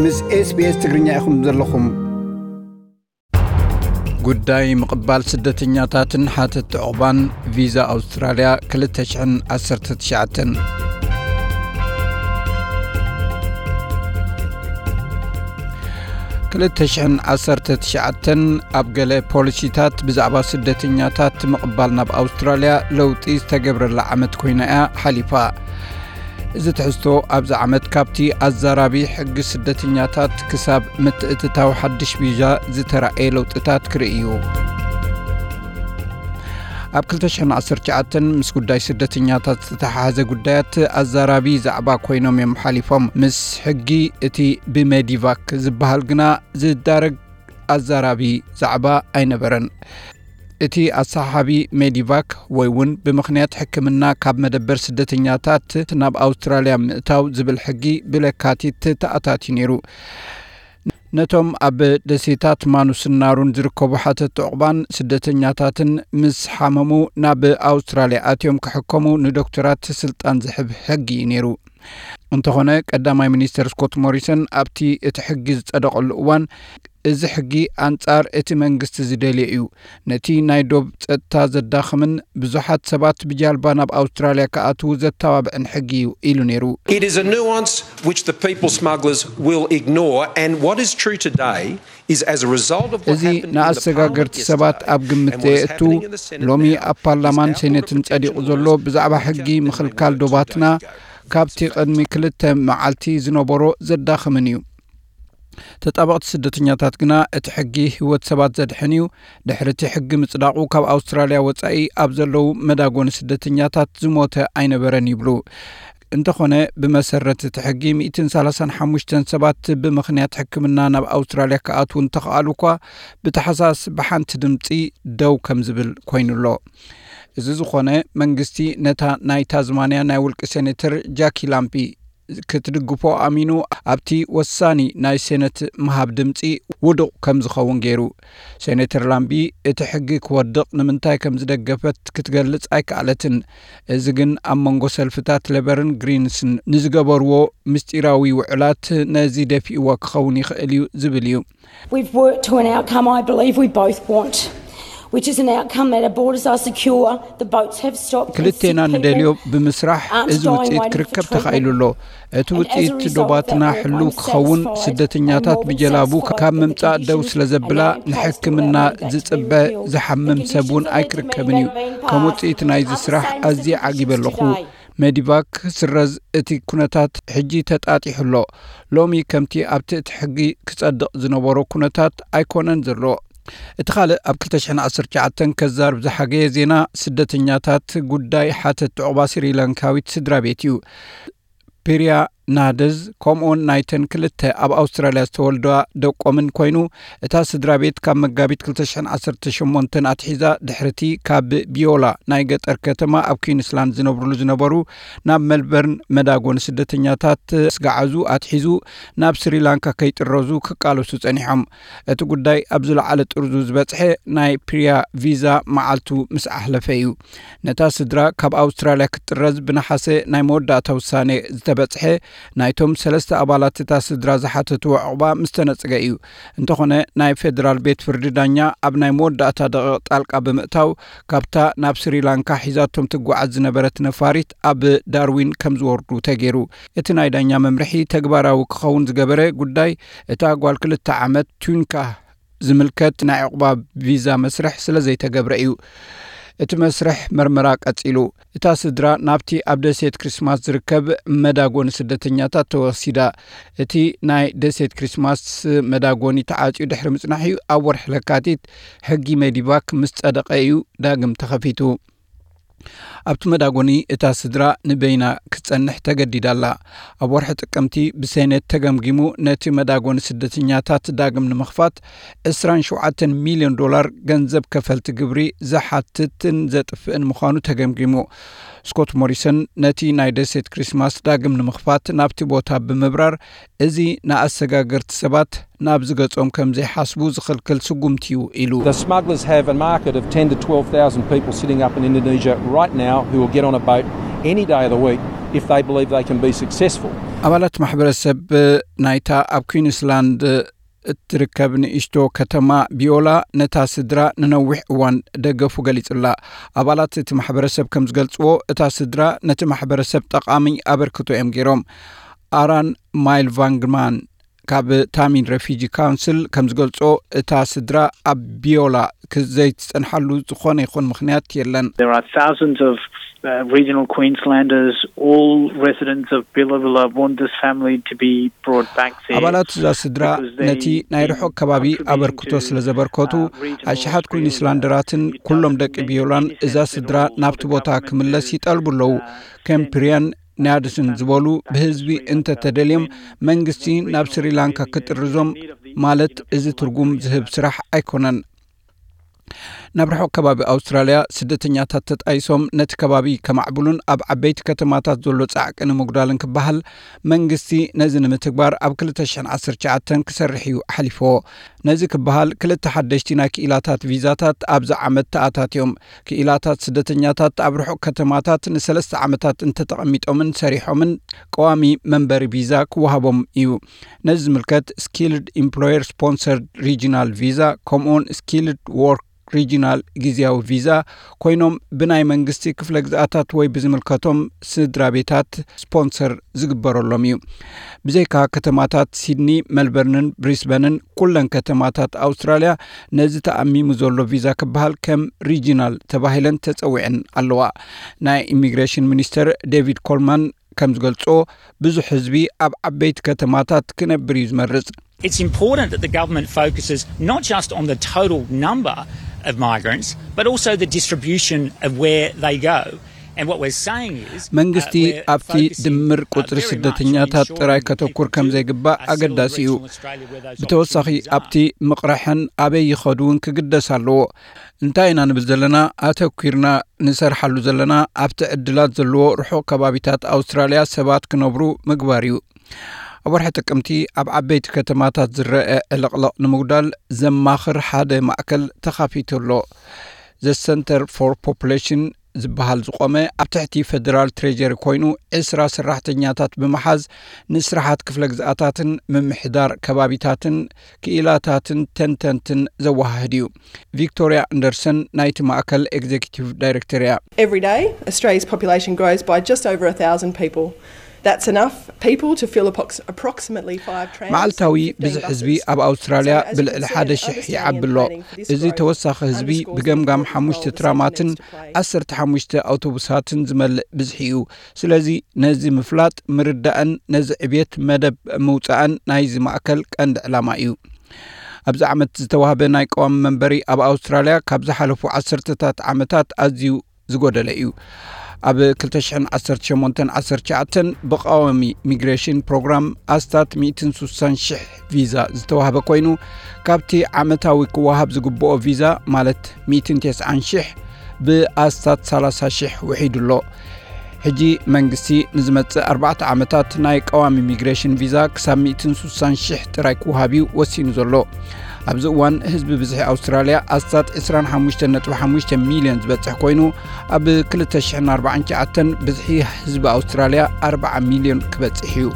ምስ SBS ትግርኛ ኢኹም ዘለኹም። ጉዳይ ምቕባል ስደተኛታትን ሓተት ዕቑባን ቪዛ ኣውስትራልያ ክልተ ሽሕን ዓሰርተ ትሽዓተን። ክልተ ሽሕን ዓሰርተ ትሽዓተን ኣብ ገለ ፖሊሲታት ብዛዕባ ስደተኛታት ምቕባል ናብ ኣውስትራልያ ለውጢ ዝተገብረላ ዓመት ኮይና እያ ሓሊፋ። እዚ ትሕዝቶ ኣብዚ ዓመት ካብቲ ኣዛራቢ ሕጊ ስደተኛታት ክሳብ ምትእትታው ሓድሽ ቪዛ ዝተራእየ ለውጥታት ክርኢ እዩ። ኣብ ክልተ ሽሕን ዓሰርተ ትሽዓተን ምስ ጉዳይ ስደተኛታት ዝተተሓሓዘ ጉዳያት ኣዛራቢ ዛዕባ ኮይኖም እዮም ሓሊፎም። ምስ ሕጊ እቲ ብሜዲቫክ ዝበሃል ግና ዝዳረግ ኣዛራቢ ዛዕባ ኣይነበረን። እቲ ኣሰሓሓቢ ሜዲቫክ ወይ እውን ብምኽንያት ሕክምና ካብ መደበር ስደተኛታት ናብ ኣውስትራልያ ምእታው ዝብል ሕጊ ብለካቲት ተኣታትዩ ነይሩ። ነቶም ኣብ ደሴታት ማኑስን ናሩን ዝርከቡ ሓተት ዕቑባን ስደተኛታትን ምስ ሓመሙ ናብ ኣውስትራልያ ኣትዮም ክሕከሙ ንዶክተራት ስልጣን ዝሕብ ሕጊ እዩ ነይሩ። እንተኾነ ቀዳማይ ሚኒስተር ስኮት ሞሪሰን ኣብቲ እቲ ሕጊ ዝጸደቐሉ እዋን፣ እዚ ሕጊ ኣንጻር እቲ መንግስቲ ዝደልዮ እዩ፣ ነቲ ናይ ዶብ ጸጥታ ዘዳኽምን ብዙሓት ሰባት ብጃልባ ናብ ኣውስትራልያ ክኣትዉ ዘተባብዕን ሕጊ እዩ ኢሉ ነይሩ። It is a nuance which the people smugglers will ignore, and what is true today is as a result of what እዚ happened in the ንኣሰጋገርቲ Parliament ሰባት yesterday ኣብ ግምት and what is ዘየእቱ happening in the Senate ሎሚ now ኣብ ፓርላማን is now ሴኔትን ጸዲቑ ዘሎ ብዛዕባ ሕጊ ምኽልካል ዶባትና ካብቲ ቅድሚ ክልተ መዓልቲ ዝነበሮ ዘዳኽምን እዩ። ተጣበቕቲ ስደተኛታት ግና እቲ ሕጊ ህይወት ሰባት ዘድሕን እዩ። ድሕሪ እቲ ሕጊ ምጽዳቑ ካብ ኣውስትራልያ ወጻኢ ኣብ ዘለዉ መዳጎኒ ስደተኛታት ዝሞተ ኣይነበረን ይብሉ። እንተኾነ ብመሰረት እቲ ሕጊ ሚእትን ሰላሳን ሓሙሽተን ሰባት ብምኽንያት ሕክምና ናብ ኣውስትራልያ ክኣትዉ እንተኸኣሉ እኳ ብታሕሳስ ብሓንቲ ድምፂ ደው ከም ዝብል ኮይኑ ኣሎ። እዚ ዝኾነ መንግስቲ ነታ ናይ ታዝማንያ ናይ ውልቂ ሴኔተር ጃኪ ላምቢ ክትድግፎ ኣሚኑ ኣብቲ ወሳኒ ናይ ሴነት ምሃብ ድምፂ ውዱቕ ከም ዝኸውን ገይሩ። ሴኔተር ላምቢ እቲ ሕጊ ክወድቕ ንምንታይ ከም ዝደገፈት ክትገልጽ ኣይከኣለትን። እዚ ግን ኣብ መንጎ ሰልፍታት ሌበርን ግሪንስን ንዝገበርዎ ምስጢራዊ ውዕላት ነዚ ደፊእዎ ክኸውን ይኽእል እዩ ዝብል እዩ። We've worked to an outcome I believe we both want, which is an outcome that our borders are secure, the boats have stopped, and ክልቴና sick ንደልዮ people ብምስራሕ aren't እዚ dying ውፅኢት waiting ክርከብ for ተኻኢሉ treatment. ኣሎ። እቲ ውፅኢት ዶባትና ሕሉው ክኸውን፣ ስደተኛታት ብጀላቡ ካብ ምምፃእ ደው ስለ ዘብላ ንሕክምና ዝፅበ ዝሓምም ሰብ እውን ኣይክርከብን እዩ። ከም ውፅኢት ናይዚ ስራሕ ኣዝየ ዓጊበ ኣለኹ። ሜዲቫክ ክስረዝ እቲ ኩነታት ሕጂ ተጣጢሑ ኣሎ። ሎሚ ከምቲ ኣብቲ እቲ ሕጊ ክጸድቕ ዝነበሮ ኩነታት ኣይኮነን ዘሎ። እቲ ካልእ ኣብ ክልተ ሽሕን ዓሰርተ ትሽዓተን ከዛርብ ዝሓገየ ዜና ስደተኛታት ጉዳይ ሓተት ዕቑባ ስሪላንካዊት ስድራ ቤት እዩ። ፒርያ ናደዝ ከምኡውን ናይተን ክልተ ኣብ ኣውስትራልያ ዝተወልዳ ደቆምን ኮይኑ፣ እታ ስድራ ቤት ካብ መጋቢት ክልተ ሽሕን ዓሰርተ ሸሞንተን ኣትሒዛ ድሕርቲ ካብ ቢዮላ ናይ ገጠር ከተማ ኣብ ኩዊንስላንድ ዝነብርሉ ዝነበሩ ናብ መልበርን መዳጎኒ ስደተኛታት ስጋዓዙ ኣትሒዙ ናብ ስሪላንካ ከይጥረዙ ክቃለሱ ጸኒሖም። እቲ ጉዳይ ኣብ ዝለዓለ ጥርዙ ዝበጽሐ ናይ ፕሪያ ቪዛ መዓልቱ ምስ ኣሕለፈ እዩ። ነታ ስድራ ካብ ኣውስትራልያ ክትጥረዝ ብነሓሰ ናይ መወዳእታ ውሳኔ ዝተበጽሐ ናይቶም ሰለስተ ኣባላት እታ ስድራ ዝሓተትዎ ዕቑባ ምስ ተነጽገ እዩ። እንተኾነ ናይ ፌደራል ቤት ፍርዲ ዳኛ ኣብ ናይ መወዳእታ ደቂቕ ጣልቃ ብምእታው ካብታ ናብ ስሪላንካ ሒዛቶም ትጓዓዝ ዝነበረት ነፋሪት ኣብ ዳርዊን ከም ዝወርዱ ተገይሩ። እቲ ናይ ዳኛ መምርሒ ተግባራዊ ክኸውን ዝገበረ ጉዳይ እታ ጓል ክልተ ዓመት ቱንካ ዝምልከት ናይ ዕቑባ ቪዛ መስርሕ ስለ ዘይተገብረ እዩ። እቲ መስርሕ መርመራ ቀጺሉ። እታ ስድራ ናብቲ ኣብ ደሴት ክሪስማስ ዝርከብ መዳጎኒ ስደተኛታት ተወሲዳ። እቲ ናይ ደሴት ክሪስማስ መዳጎኒ ተዓጽዩ ድሕሪ ምጽናሕ እዩ ኣብ ወርሒ ለካቲት ሕጊ ሜዲቫክ ምስ ጸደቐ እዩ ዳግም ተኸፊቱ። ኣብቲ መዳጎኒ እታ ስድራ ንበይና ክትጸንሕ ተገዲዳ ኣላ። ኣብ ወርሒ ጥቅምቲ ብሴኔት ተገምጊሙ ነቲ መዳጎኒ ስደተኛታት ዳግም ንምኽፋት ዕስራን ሸውዓተን ሚልዮን ዶላር ገንዘብ ከፈልቲ ግብሪ ዝሓትትን ዘጥፍእን ምዃኑ ተገምጊሙ። ስኮት ሞሪሰን ነቲ ናይ ደሴት ክሪስማስ ዳግም ንምኽፋት ናብቲ ቦታ ብምብራር፣ እዚ ንኣሰጋገርቲ ሰባት ናብዚ ገጾም ከም ዘይሓስቡ ዝኽልክል ስጉምቲ እዩ ኢሉ። The smugglers have a market of ten to twelve thousand people sitting up in Indonesia right now who will get on a boat any day of the week if they believe they can be successful. ኣባላት ማሕበረሰብ ናይታ ኣብ ኩዊንስላንድ እትርከብ ንእሽቶ ከተማ ቢዮላ ነታ ስድራ ንነዊሕ እዋን ደገፉ ገሊጹላ። ኣባላት እቲ ማሕበረሰብ ከም ዝገልጽዎ፣ እታ ስድራ ነቲ ማሕበረሰብ ጠቓሚ ኣበርክቶ እዮም ገይሮም። ኣራን ማይል ቫንግማን ካብ ታሚን ሬፊጂ ካውንስል ከም ዝገልጾ፣ እታ ስድራ ኣብ ቢዮላ ዘይትጸንሓሉ ዝኾነ ይኹን ምኽንያት የለን። There are thousands of uh, regional Queenslanders, all residents of Bilabilla, want this family to be brought back there. ኣባላት እዛ ስድራ ነቲ ናይ ርሑቕ ከባቢ ኣበርክቶ ስለ ዘበርከቱ፣ ኣሽሓት ኩዊንስላንደራትን ኩሎም ደቂ ቢዮላን እዛ ስድራ ናብቲ ቦታ ክምለስ ይጠልቡ ኣለዉ። ከም ፕሪያን ናድስን ዝበሉ ብህዝቢ እንተተደልዮም መንግስቲ ናብ ስሪላንካ ክጥርዞም ማለት እዚ ትርጉም ዝህብ ስራሕ ኣይኮነን። ናብ ርሑቕ ከባቢ ኣውስትራልያ ስደተኛታት ተጣይሶም ነቲ ከባቢ ከማዕብሉን ኣብ ዓበይቲ ከተማታት ዘሎ ጻዕቂ ንምጉዳልን ክበሃል መንግስቲ ነዚ ንምትግባር ኣብ ክልተ ሽሕን ዓሰርተ ትሽዓተን ክሰርሕ እዩ ኣሕሊፍዎ። ነዚ ክበሃል ክልተ ሓደሽቲ ናይ ክኢላታት ቪዛታት ኣብዚ ዓመት ተኣታትዮም። ክኢላታት ስደተኛታት ኣብ ርሑቕ ከተማታት ንሰለስተ ዓመታት እንተተቐሚጦምን ሰሪሖምን ቀዋሚ መንበሪ ቪዛ ክወሃቦም እዩ። ነዚ ዝምልከት ስኪልድ ኢምፕሎየር ስፖንሰርድ ሪጂናል ቪዛ ከምኡውን ስኪልድ ዎርክ ሪጂናል ግዜያዊ ቪዛ ኮይኖም ብናይ መንግስቲ ክፍለ ግዝኣታት ወይ ብዝምልከቶም ስድራ ቤታት ስፖንሰር ዝግበረሎም እዩ። ብዘይካ ከተማታት ሲድኒ፣ መልበርንን ብሪስበንን ኩለን ከተማታት ኣውስትራልያ ነዚ ተኣሚሙ ዘሎ ቪዛ ክበሃል ከም ሪጂናል ተባሂለን ተጸዊዐን ኣለዋ። ናይ ኢሚግሬሽን ሚኒስተር ዴቪድ ኮልማን ከም ዝገልጾ፣ ብዙሕ ህዝቢ ኣብ ዓበይቲ ከተማታት ክነብር እዩ ዝመርጽ። It's important that the government focuses not just on the total number of migrants, but also the distribution of where they go. And what we're saying is, መንግስቲ ኣብቲ ድምር ቁጽሪ ስደተኛታት ጥራይ ከተኩር ከም ዘይግባእ ኣገዳሲ እዩ። ብተወሳኺ ኣብቲ ምቕርሐን ኣበይ ይኸዱ እውን ክግደስ ኣለዎ። እንታይ ኢና ንብል ዘለና? ኣተኲርና ንሰርሓሉ ዘለና ኣብቲ ዕድላት ዘለዎ ርሑቕ ከባቢታት ኣውስትራልያ ሰባት ክነብሩ ምግባር እዩ። ኣብ ወርሒ ጥቅምቲ ኣብ ዓበይቲ ከተማታት ዝረአ ዕልቕልቕ ንምጉዳል ዘማኽር ሓደ ማእከል ተኻፊቱ ኣሎ። ዘ ሰንተር ፎር ፖፑሌሽን ዝበሃል ዝቆመ ኣብ ትሕቲ ፈደራል ትሬጀሪ ኮይኑ ዕስራ ሰራሕተኛታት ብምሓዝ ንስራሓት ክፍለ ግዝኣታትን ምምሕዳር ከባቢታትን ክኢላታትን ተንተንትን ዘወሃህድ እዩ። ቪክቶርያ ኣንደርሰን ናይቲ ማእከል ኤግዜኪቲቭ ዳይሬክተር እያ። Every day, Australia's population grows by just over a thousand people. That's enough people to fill approx- approximately five trams. መዓልታዊ ብዝሒ ህዝቢ ኣብ ኣውስትራልያ ብልዕሊ ሓደ ሽሕ ይዓቢ ኣሎ። እዚ ተወሳኺ ህዝቢ ብገምጋም ሓሙሽተ ትራማትን ዓሰርተ ሓሙሽተ ኣውቶቡሳትን ዝመልእ ብዝሒ እዩ። ስለዚ ነዚ ምፍላጥ ምርዳእን ነዚ ዕብየት መደብ ምውጻእን ናይዚ ማእከል ቀንዲ ዕላማ እዩ። ኣብዚ ዓመት ዝተዋህበ ናይ ቀዋሚ መንበሪ ኣብ ኣውስትራልያ ካብ ዝሓለፉ ዓሰርተታት ዓመታት ኣዝዩ ዝጎደለ እዩ። ኣብ ክልተ ሽሕን ዓሰርተ ሸሞንተን ዓሰርተ ትሽዓተን ብቐዋሚ ሚግሬሽን ፕሮግራም ኣስታት ሚእትን ሱሳን ሽሕ ቪዛ ዝተዋህበ ኮይኑ፣ ካብቲ ዓመታዊ ክወሃብ ዝግብኦ ቪዛ ማለት ሚእትን ተስዓን ሽሕ ብኣስታት ሰላሳ ሽሕ ውሒዱ ኣሎ። ሕጂ መንግስቲ ንዝመጽእ ኣርባዕተ ዓመታት ናይ ቀዋሚ ሚግሬሽን ቪዛ ክሳብ ሚእትን ሱሳን ሽሕ ጥራይ ክወሃብ እዩ ወሲኑ ዘሎ። ኣብዚ እዋን ህዝቢ ብዝሒ ኣውስትራልያ ኣስታት ዕስራን ሓሙሽተን ነጥቢ ሓሙሽተ ሚልዮን ዝበጽሕ ኮይኑ፣ ኣብ ክልተ ሽሕን ኣርባዓን ትሽዓተን ብዝሒ ህዝቢ ኣውስትራልያ ኣርብዓ ሚልዮን ክበጽሕ እዩ።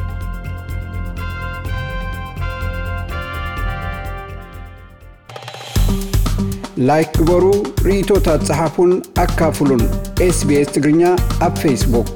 ላይክ ግበሩ፣ ርእይቶታት ጸሓፉን ኣካፍሉን። ኤስቢኤስ ትግርኛ ኣብ ፌስቡክ።